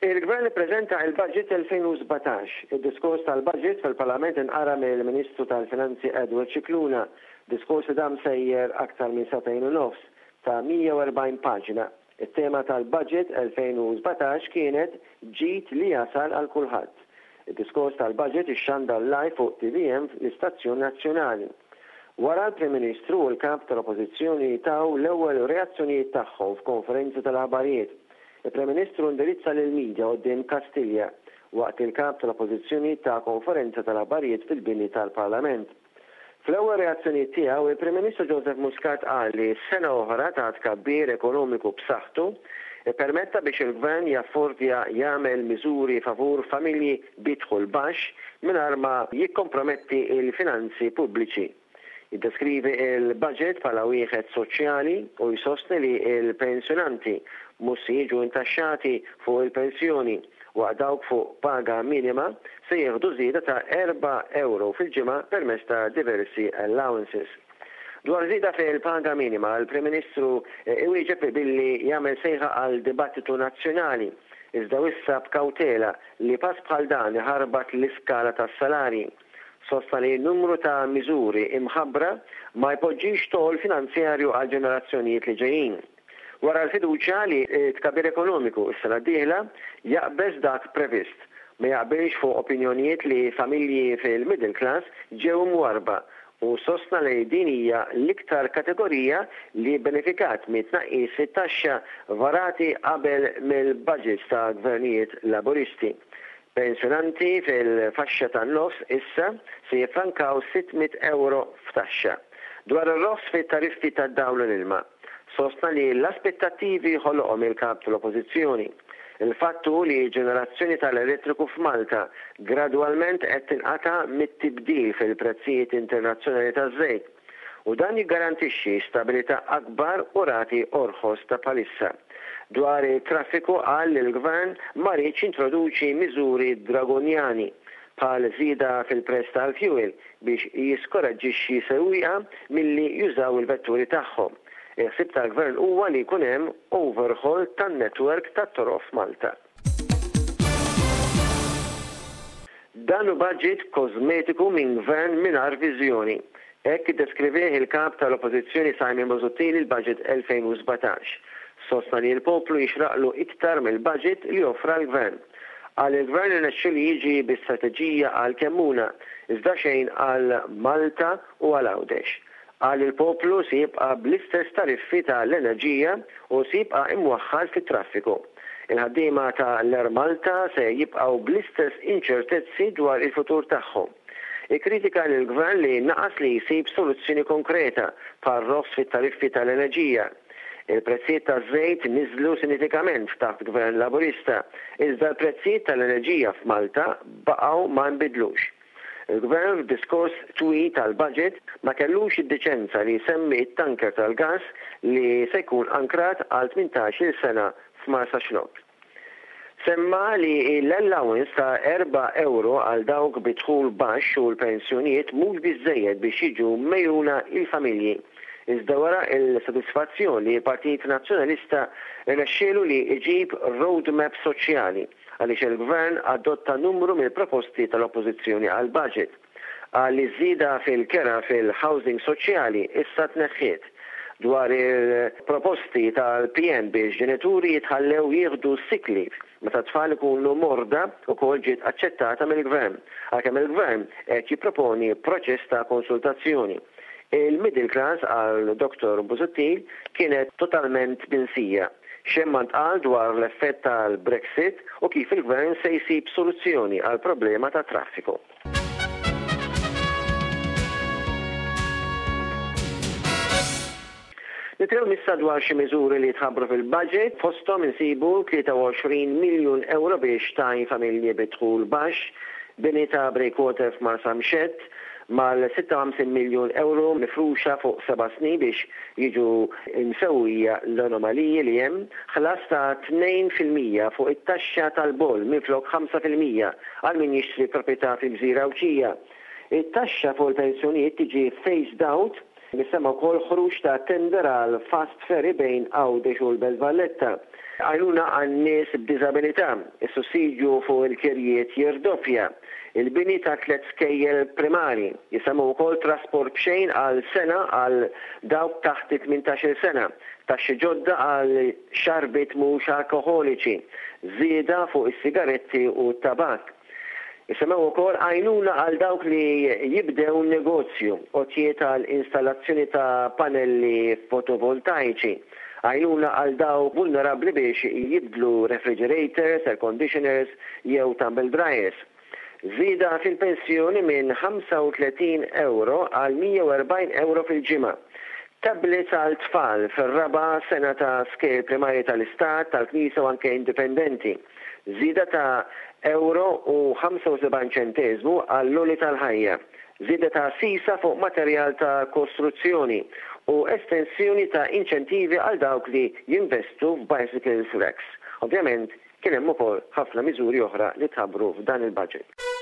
Il-Gvern ippreżenta il-Budget 2017. Id-diskors tal-Budget fil-Parlament inqara mill-Ministru tal-Finanzi Edward Scicluna, diskors li dam sejjer aktar minn sagħtejn u nofs, ta' 140 paġna. It-tema tal-Budget 2017 kienet Ġid li jasal għal kulħadd. Id-diskors tal-Budget ixxandar live fuq tvm l-istazzjon nazzjonali. Wara l-Prim Ministru u l-Kap tal-Oppożizzjoni taw l-ewwel reazzjonijiet tagħhom f'konferenza tal-aħbarijiet. Il-Prim Ministru indirizza lill-media quddiem Kastilja waqt li l-Kap tal-Oppożizzjoni ta konferenza tal-aħbarijiet fil-bini tal-Parlament. Fl-ewwel reazzjonijiet tiegħu, il-Prim Ministru Joseph Muscat qal li sena oħra ta' tkabbir ekonomiku b'saħħtu ppermetta biex il-Gvern jaffordja jagħmel miżuri favur familji bi dħul baxx mingħajr ma jikkomprometti l-finanzi pubbliċi. Jiddeskrivi l-budget bħala wieħed soċjali u jsostni li l-pensjonanti mhux se jiġu intaxxati fuq il-pensjoni waqt dawk fuq paga minima se jieħdu żieda ta' erba' ewro fil-ġimgħa permezz ta' diversi allowances. Dwar żieda fil-paga minima, l-Prim Ministru iwieġeb billi jagħmel sejħa għal dibattitu nazzjonali, iżda wissa b'kawtela li pass bħal dan iħarbat l-iskala tas-salarji. Sostna li numru ta' miżuri imħabbra ma jpoġġix toll finanzjarju għall-ġenerazzjonijiet li ġejjin. Wara l-fiduċja li t-tkabbir ekonomiku s-sena d-dieħla jaqbeż dak previst, ma jaqbilx fuq opinjonijiet li familji fil-middle class ġew imwarrba u sostna li din hija l-iktar kategorija li bbenefikat mit-tnaqqis fit-taxxa varati qabel mill-budgets ta' gvernijiet Laburisti. Pensjonanti fil-faxxa tan-nofs issa se jiffrankaw 600 ewro f'taxxa. Dwar ir-roħs fit-tariffi tad-dawl u l-ilma, sostna li l-aspettattivi ħoloqhom il-Kap tal-Oppożizzjoni. Il-fatt hu li l-ġenerazzjoni tal-elettriku f'Malta gradwalment qed tinqata' mit-tibdil fil-prezzijiet internazzjonali taż-żejt u dan jiggarantixxi stabilità akbar u rati orħos ta' bħalissa. Dwar it-traffiku qal li l-Gvern ma riedx jintroduċi miżuri dragonjani bħal żieda fil-prezz tal-fjuwil biex jiskoraġġixxi sewwieqa milli jużaw il-vetturi tagħhom. Il-ħsieb tal-Gvern huwa li jkun hemm overhaul tan-network tat-toroq f'Malta. Dan hu budget kożmetiku minn Gvern mingħajr viżjoni. Hekk iddeskrivieh il-Kap tal-Oppożizzjoni Simon Busuttil il-Budget 2017. Sostna li l-poplu jixraqlu iktar mill-budget li offra l-Gvern. Qal li l-Gvern irnexxielu jiġi bi strateġija għal Kemmuna, iżda xejn għal Malta u għal Għawdex. Qal li l-poplu se jibqa' bl-istess tariffi ta' l-enerġija u se jibqa' imwaħħal fit-traffiku. Il-ħaddiema ta' l-Air Malta se jibqgħu bl-istess inċertezzi dwar il-futur tagħhom. Ikkritika lill-Gvern li naqas li jsib soluzzjoni konkreta bħar-roħs fit-tariffi ta' l-enerġija. Il-prezzijiet taż-żejt niżlu sinifikament taħt Gvern Laburista, iżda l-prezzijiet tal-enerġija f'Malta baqgħu ma nbidlux. Il-Gvern f'diskors twil tal-budget ma kellux id-diċenza li jsemmi t-tanker tal-gass li se jkun ankrat għal 18-il sena f'Marsaxlokk. Semma li l-allowance ta' erba' ewro għal dawk bi dħul baxx u l-pensjonijiet mhux biżżejjed biex jiġu megħjuna l-familji. Iżda wera l-sodisfazzjon li l-Partit Nazzjonalista rnexxielu li jġib roadmap soċjali għaliex il-Gvern adotta numru mill-proposti tal-Oppożizzjoni għall-budget. Qal li ż-żieda fil-kera fil-housing soċjali issa tneħħiet. Dwar il-proposti tal-PN biex ġenituri jitħallew jieħdu sick leave meta t-tfal ikunu morda wkoll ġiet aċċettata mill-Gvern, għalkemm il-Gvern qed jipproponi proċess ta' konsultazzjoni. Il-middle class, qal Dottor Busuttil, kienet totalment minsija. Xejn ma ntqal dwar l-effett tal-Brexit u kif il-Gvern se jsib soluzzjoni għall-problema tat-traffiku. Nitkellmu issa dwar xi miżuri li tħabbru fil-budget, fosthom insibu 23 miljun ewro biex tgħin familji bi dħul baxx, bini ta' breakwater f'Marsamxett, mal-56 miljun ewro mifruxa fuq seba' snin biex jiġu msewwija l-anomaliji li hemm, ħlas ta' 2% fuq it-taxxa tal-boll minflok 5% għal min jixtri proprjetà fil-gżira Għawdxija. It-taxxa fuq il-pensjonijiet tiġi phased out. Jissemma wkoll ħruġ ta' tender għal fast ferry bejn Għawdex u l-Belt Valletta. Għajnuna għan-nies b'diżabilità, is-sussidju fuq il-kirjiet jirdoppja, il-bini ta' tlett skejjel primari. Jissemma wkoll trasport b'xejn għal sena għal dawk taħt it-tmintax-il sena, taxxi ġodda għal xarbiet mhux alkoħoliċi, żieda fuq is-sigaretti u t-tabakk. Isemmew ukoll għajnuna għal dawk li jibdew negozju, għotjiet għal installazzjoni ta' panelli fotovoltaiċi, għajnuna għal dawk vulnerabbli biex jibdlu refrigerators, air conditioners jew tumble dryers. Żieda fil-pensjoni minn 35 ewro għal 140 ewro fil-ġimgħa. Tablets għal tfal fir-raba' sena ta' skejjel primarji tal-Istat, tal-Knisja u anke indipendenti. Żieda ta' ewro u 75 ċenteżmu għall-għoli tal-ħajja, żieda ta' sisa fuq materjal ta' kostruzzjoni u estensjoni ta' inċentivi għal dawk li jinvestu f'bicycles racks. Ovvjament, kien hemm ukoll ħafna miżuri oħra li tħabbru f'dan il-budget.